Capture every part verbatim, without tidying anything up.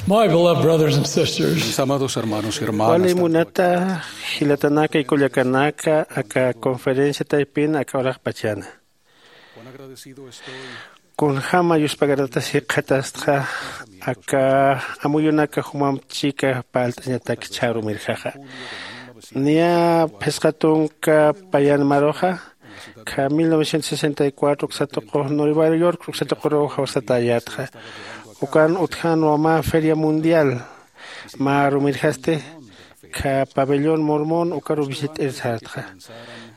My beloved brothers and sisters, mis amados hermanos y hermanas, wali munata jilatanaka y kullakanaka, aka conferencia taypin aka uraqpachana. Kunjama yuspagaratasi jikxatastxa aka amuyunaka jumamp chika palt'añatak chharumirjaxa. Niya phisqa tunka payan maruxa, kha mil novecientos sesenta y cuatro uksatuqu Nueva York uksatuquruw jawsatayätxa. Ukan utjanwa mä feria mundial, mä rumirjasti kha pabellón Mormón ukaru visit'ir sartxa.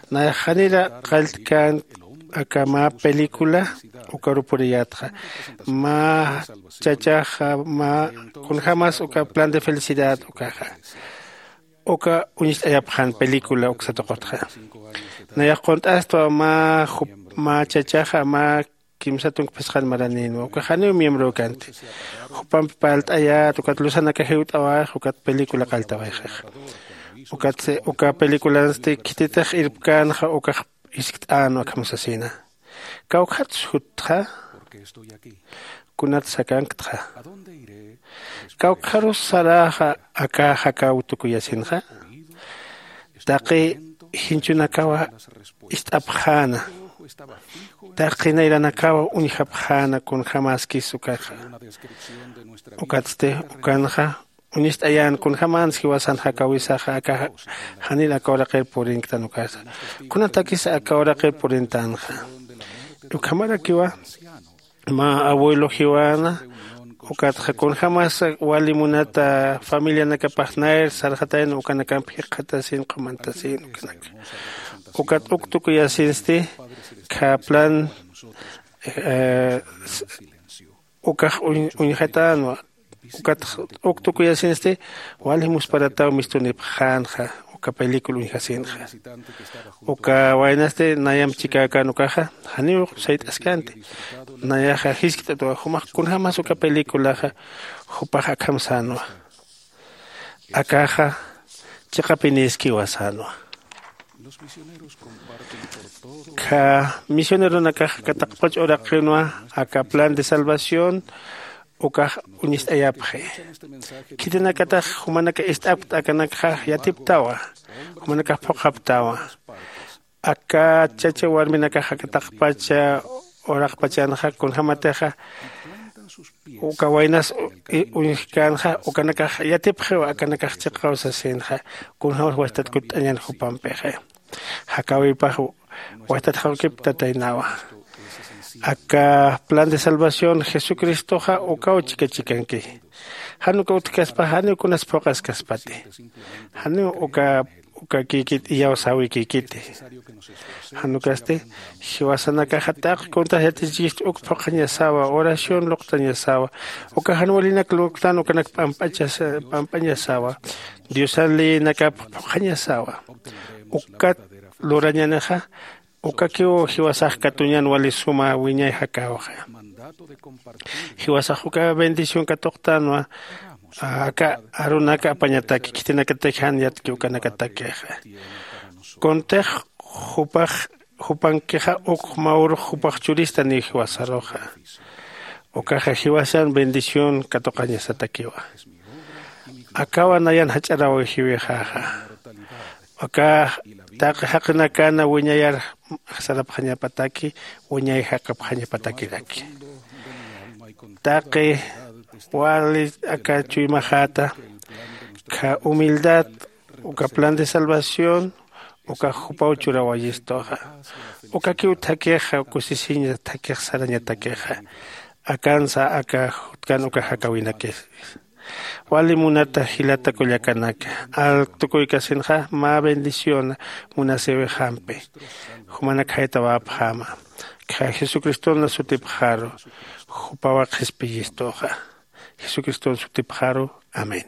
Nayax janira qalltkän aka mä película ukaru puriyätxa. Mä chachaxa mä kunjämas uka plan de felicidad ukaxa, uka uñist'ayapxän película uksatuqutxa. Nayax qunt'astwa mä jup mä chachaxa mä kimsa tunka phisqan maranïnwa uka janiw miembrow kanti. Jupampi parlt'ayät ukat luzanakax jiwt'awax ukat película qalltawayxix. Ukat uka películansti khititix irpkänxa ukax jiskt'änwa akham sasina. Kawkhatsa juttxa? Kunatsa akanktxa? Kawkharus saräxa aka jakaw tukuyasinxa? Taqi jinchunakawa ist'apxäna, taqi nayranakawa uñjapxäna kunjämäskis ukaxa. Ukatsti ukanxa uñist'ayän kunjämans jiwasan jakawisaxa aka janir aka uraqir purinktan ukasa. Kunatakis aka uraqir purintänxa? Ukhamarakiwa mä abuelo jiwäna ukatxa kunjämas wali munata familianakapax nayr sarxatayna ukanakamp jikxatasin q'umantasin ukanaka. Ukat uk tukuyasinsti kha plan ukax uñjatänwa. Ukat uk tukuyasinsti wali musparataw mistunipxänxa uka película uñjasinxa. Uka waynasti nayamp chikäkän ukaxa janiw sayt'askänti. Nayaxa jiskt'atwa jumax kunjämas uka películaxa jupax akham sänwa. Akaxa chiqapinïskiwa sänwa. Kha misioneronakax kataqpach uraqinwa aka plan de salvación ukax uñist'ayapxi. Khitinakatax jumanaka ist'apkta akanakxa yatiptawa, jumanakax phuqhaptawa. Aka chacha warminakax akataqpacha uraqpachanxa kunjämatixa uka waynas uñjkänxa ukanakax yatipxiw akanakax chiqaw sasinxa. Kunjämas wasitat kutt'añan jupampixi. Jakäwipax wasitat jawkiptataynawa. Aka plan de salvación jesucristoxa ukaw chikachikanki. Jan uka utjkaspa janiw kunas phuqhaskaspati. Janiw uka ukakïkit iyawsäwikïkiti. Jan ukasti jiwasanakaxa taqi kuntax yatichichistu uk phuqhañasawa oración luqtañasawa. Uka jan walinak luqtan ukanak p'amp'añasawa. Diosan leyinakap phuqhañasawa. Ukat lurañanixa ukakiw jiwasax katuñan wali suma wiñay jakäwxa. Jiwasax uka bendición katuqtänwa aka arunaka apañataki khitinakataki jan yatki ukanakatakixa. Kuntix jupax jupankixa uk mä urux jupax churistaniw jiwasaruxa. Ukaxa jiwasan bendición katuqañasatakiwa. Akawa nayan jach'arawaw jiwixäxa. Aka taqi jaqinakana wiñayar sarapxañapataki wiñay jaqapxañapatakiraki. Taqi wali aka chuymaxäta kha humildad uka plan de salvación ukax jupaw churawayistuxa. Ukakiw thakhixa kusisiña thakhix sarañatakixa. Akansa aka jutkan uka jakawinakis. Wali munata jilata kullakanaka, alktukuykasinxa mä bendiciona munasïwixampi. Jumanak jaytawäpxäma. Jesucristona sutipxaru jupawa qhispiyistuxa. Jesucriston sutipxaru. Amén.